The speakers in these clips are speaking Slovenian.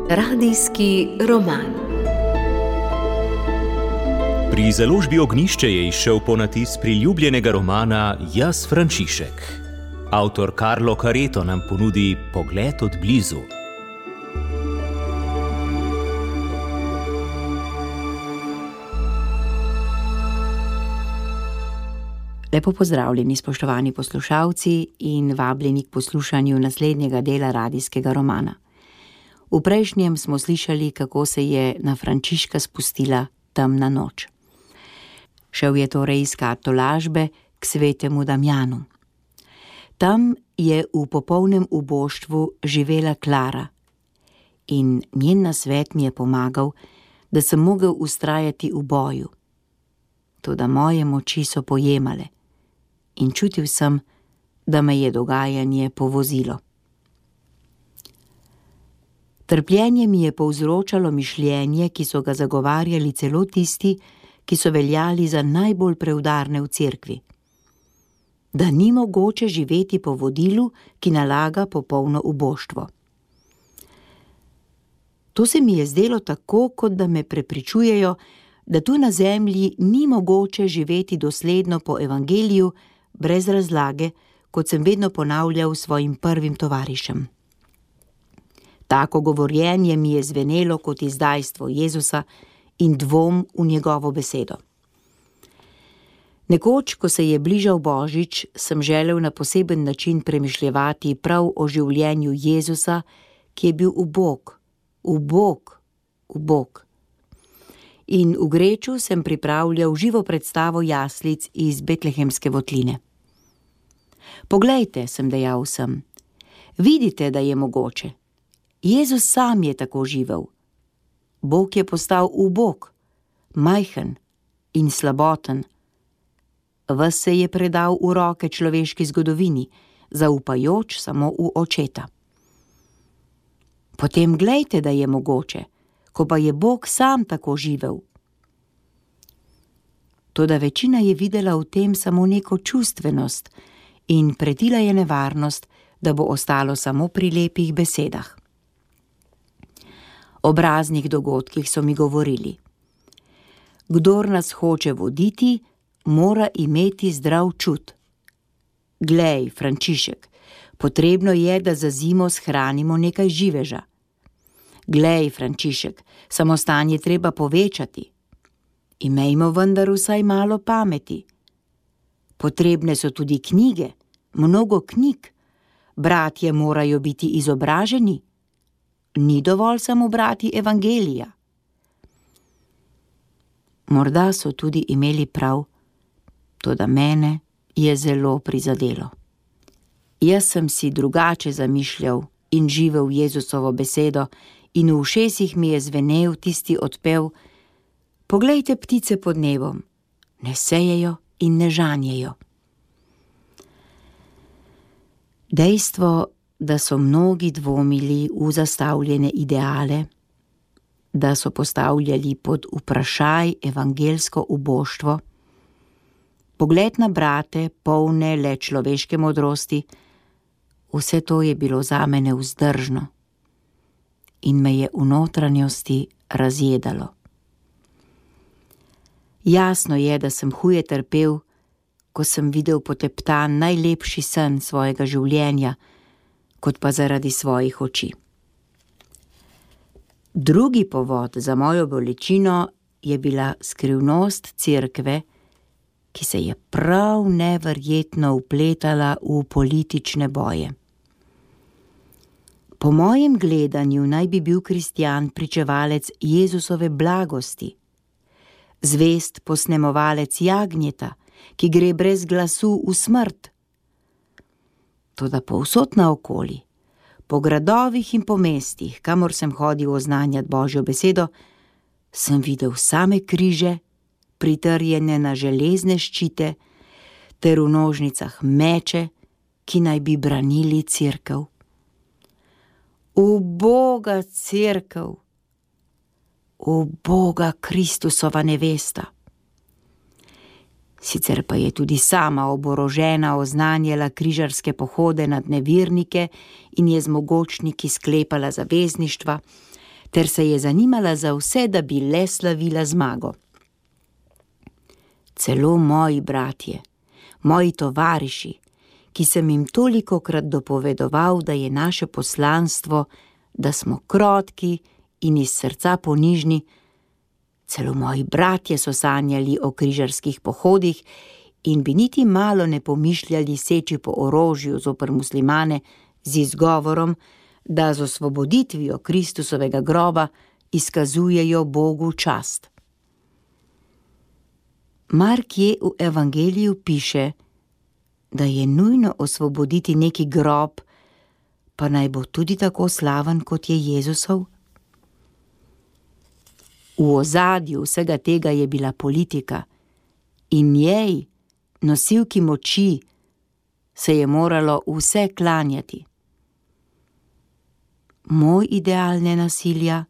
Radijski roman. Pri založbi Ognjišče je izšel ponatis priljubljenega romana Jaz, Frančišek. Avtor Carlo Careto nam ponudi pogled od blizu. Lepo pozdravljeni, spoštovani poslušalci, in vabljeni k poslušanju naslednjega dela radijskega romana. V prejšnjem smo slišali, kako se je na Frančiška spustila temna noč. Šel je torej iskat tolažbe k svetemu Damjanu. Tam je v popolnem uboštvu živela Klara in njen nasvet mi je pomagal, da sem mogel vztrajati v boju. Toda moje moči so pojemale in čutil sem, da me je dogajanje povozilo. Trpljenje mi je povzročalo mišljenje, ki so ga zagovarjali celo tisti, ki so veljali za najbolj preudarne v cerkvi. Da ni mogoče živeti po vodilu, ki nalaga popolno uboštvo. To se mi je zdelo tako, kot da me prepričujejo, da tu na zemlji ni mogoče živeti dosledno po evangeliju, brez razlage, kot sem vedno ponavljal svojim prvim tovarišem. Tako govorjenje mi je zvenelo kot izdajstvo Jezusa in dvom v njegovo besedo. Nekoč, ko se je bližal Božič, sem želel na poseben način premišljevati prav o življenju Jezusa, ki je bil ubog. In v Greču sem pripravljal živo predstavo jaslic iz betlehemske votline. Poglejte, sem dejal vsem, vidite, da je mogoče. Jezus sam je tako živel. Bog je postal ubog, majhen in slaboten. Ves se je predal v roke človeški zgodovini, zaupajoč samo v očeta. Potem glejte, da je mogoče, ko pa je Bog sam tako živel. Toda večina je videla v tem samo neko čustvenost in pretila je nevarnost, da bo ostalo samo pri lepih besedah. Ob raznih dogodkih so mi govorili: kdor nas hoče voditi, mora imeti zdrav čut. Glej, Frančišek, potrebno je, da za zimo shranimo nekaj živeža. Glej, Frančišek, samostan je treba povečati. Imejmo vendar vsaj malo pameti. Potrebne so tudi knjige, mnogo knjig. Bratje morajo biti izobraženi. Ni dovolj samo brati evangelija. Morda so tudi imeli prav, toda mene je zelo prizadelo. Jaz sem si drugače zamišljal in živel Jezusovo besedo in v ušesih mi je zvenel tisti odpev: poglejte ptice pod nebom, ne sejejo in ne žanjejo. Dejstvo, da so mnogi dvomili v zastavljene ideale, da so postavljali pod vprašaj evangelsko uboštvo, pogled na brate, polne le človeške modrosti, vse to je bilo zame nevzdržno in me je v notranjosti razjedalo. Jasno je, da sem huje trpel, ko sem videl poteptan najlepši sen svojega življenja, kot pa zaradi svojih oči. Drugi povod za mojo bolečino je bila skrivnost cerkve, ki se je prav neverjetno vpletala v politične boje. Po mojem gledanju naj bi bil kristjan pričevalec Jezusove blagosti, zvest posnemovalec jagnjeta, ki gre brez glasu v smrt. Toda povsod naokoli, po gradovih in po mestih, kamor sem hodil oznanjati Božjo besedo, sem videl same križe, pritrjene na železne ščite, ter v nožnicah meče, ki naj bi branili cerkev. Uboga cerkev, uboga Kristusova nevesta. Sicer pa je tudi sama oborožena oznanjala križarske pohode nad nevernike in je z mogočniki sklepala zavezništva, ter se je zanimala za vse, da bi le slavila zmago. Celo moji bratje, moji tovariši, ki sem jim tolikokrat dopovedoval, da je naše poslanstvo, da smo krotki in iz srca ponižni, celo moji bratje so sanjali o križarskih pohodih in bi niti malo ne pomišljali seči po orožju zoper muslimane z izgovorom, da z osvoboditvijo Kristusovega groba izkazujejo Bogu čast. Markje v Evangeliju piše, da je nujno osvoboditi neki grob, pa naj bo tudi tako slaven, kot je Jezusov. V ozadju vsega tega je bila politika in njej, nosilki moči, se je moralo vse klanjati. Moj ideal nenasilja,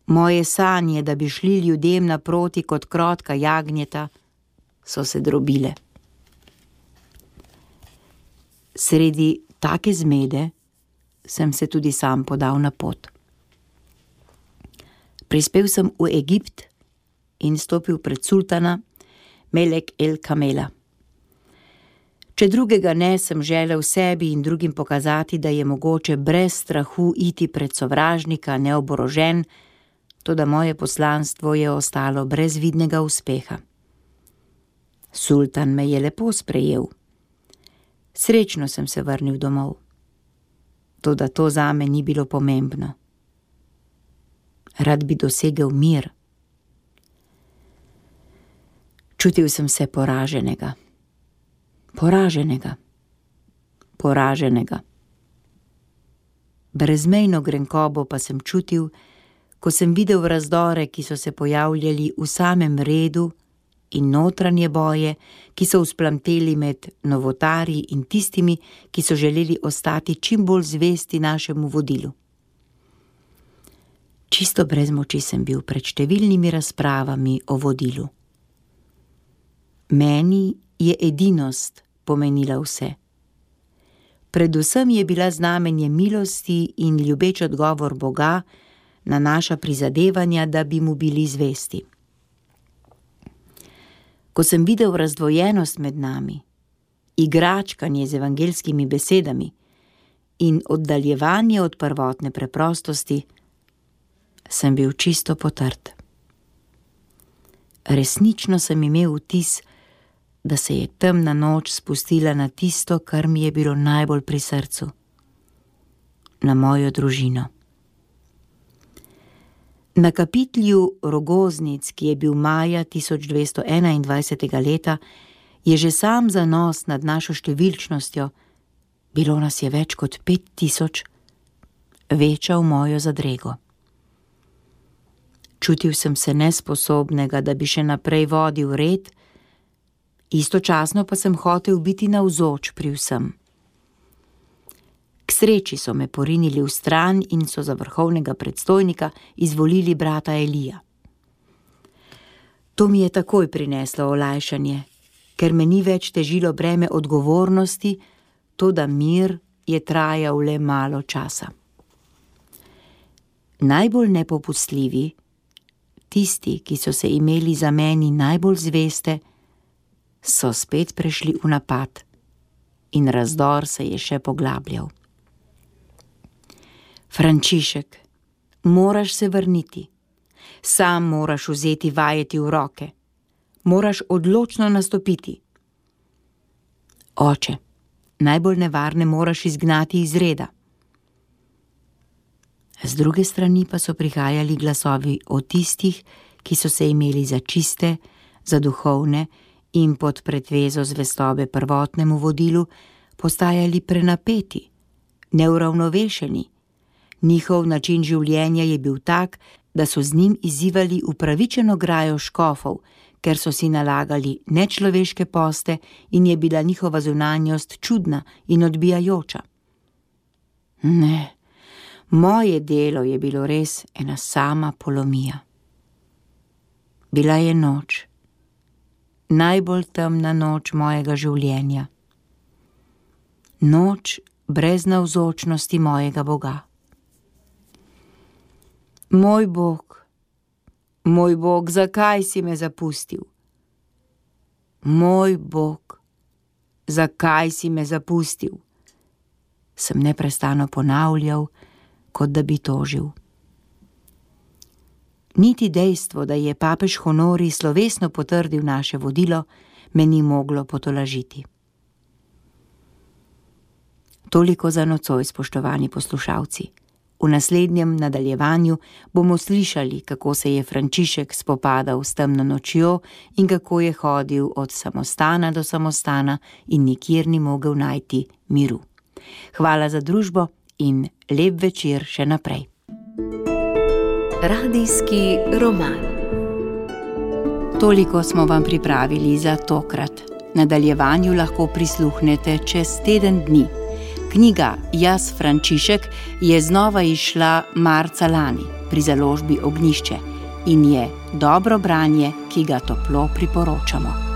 moje sanje, da bi šli ljudem naproti kot krotka jagnjeta, so se drobile. Sredi take zmede sem se tudi sam podal na pot. Prispel sem v Egipt in stopil pred sultana Melek el Kamela. Če drugega ne, sem želel sebi in drugim pokazati, da je mogoče brez strahu iti pred sovražnika neoborožen, toda moje poslanstvo je ostalo brez vidnega uspeha. Sultan me je lepo sprejel. Srečno sem se vrnil domov. Toda to zame ni bilo pomembno. Rad bi dosegel mir. Čutil sem se poraženega. Brezmejno grenkobo pa sem čutil, ko sem videl razdore, ki so se pojavljali v samem redu, in notranje boje, ki so vzplamteli med novotarji in tistimi, ki so želeli ostati čim bolj zvesti našemu vodilu. Čisto brez moči sem bil pred številnimi razpravami o vodilu. Meni je edinost pomenila vse. Predvsem je bila znamenje milosti in ljubeč odgovor Boga na naša prizadevanja, da bi mu bili zvesti. Ko sem videl razdvojenost med nami, igračkanje z evangelskimi besedami in oddaljevanje od prvotne preprostosti, sem bil čisto potrt. Resnično sem imel vtis, da se je temna noč spustila na tisto, kar mi je bilo najbolj pri srcu, na mojo družino. Na kapitlju Rogoznic, ki je bil maja 1221. leta, je že sam zanos nad našo številčnostjo, bilo nas je več kot 5000, večal mojo zadrego. Čutil sem se nesposobnega, da bi še naprej vodil red, istočasno pa sem hotel biti navzoč pri vsem. K sreči so me porinili v stran in so za vrhovnega predstojnika izvolili brata Elija. To mi je takoj prineslo olajšanje, ker me ni več težilo breme odgovornosti, toda mir je trajal le malo časa. Najbolj nepopustljivi, tisti, ki so se imeli za meni najbolj zveste, so spet prešli v napad in razdor se je še poglabljal. Frančišek, moraš se vrniti. Sam moraš vzeti vajeti v roke. Moraš odločno nastopiti. Oče, najbolj nevarne moraš izgnati iz reda. Z druge strani pa so prihajali glasovi o tistih, ki so se imeli za čiste, za duhovne in pod pretvezo zvestobe prvotnemu vodilu postajali prenapeti, neuravnovešeni. Njihov način življenja je bil tak, da so z njim izzivali upravičeno grajo škofov, ker so si nalagali nečloveške poste in je bila njihova zunanjost čudna in odbijajoča. Ne, moje delo je bilo res ena sama polomija. Bila je noč najbolj temna noč mojega življenja. Noč brez navzočnosti mojega Boga. Moj Bog, zakaj si me zapustil? Moj Bog, zakaj si me zapustil? Sem neprestano ponavljal, kot da bi tožil. Niti dejstvo, da je papež Honorij slovesno potrdil naše vodilo, me ni moglo potolažiti. Toliko za nocoj, spoštovani poslušalci. V naslednjem nadaljevanju bomo slišali, kako se je Frančišek spopadal s temno nočjo in kako je hodil od samostana do samostana in nikjer ni mogel najti miru. Hvala za družbo in lep večer še naprej. Radijski roman. Toliko smo vam pripravili za tokrat. Nadaljevanju lahko prisluhnete čez teden dni. Knjiga Jaz Frančišek je znova izšla marca lani pri založbi Ognjišče in je dobro branje, ki ga toplo priporočamo.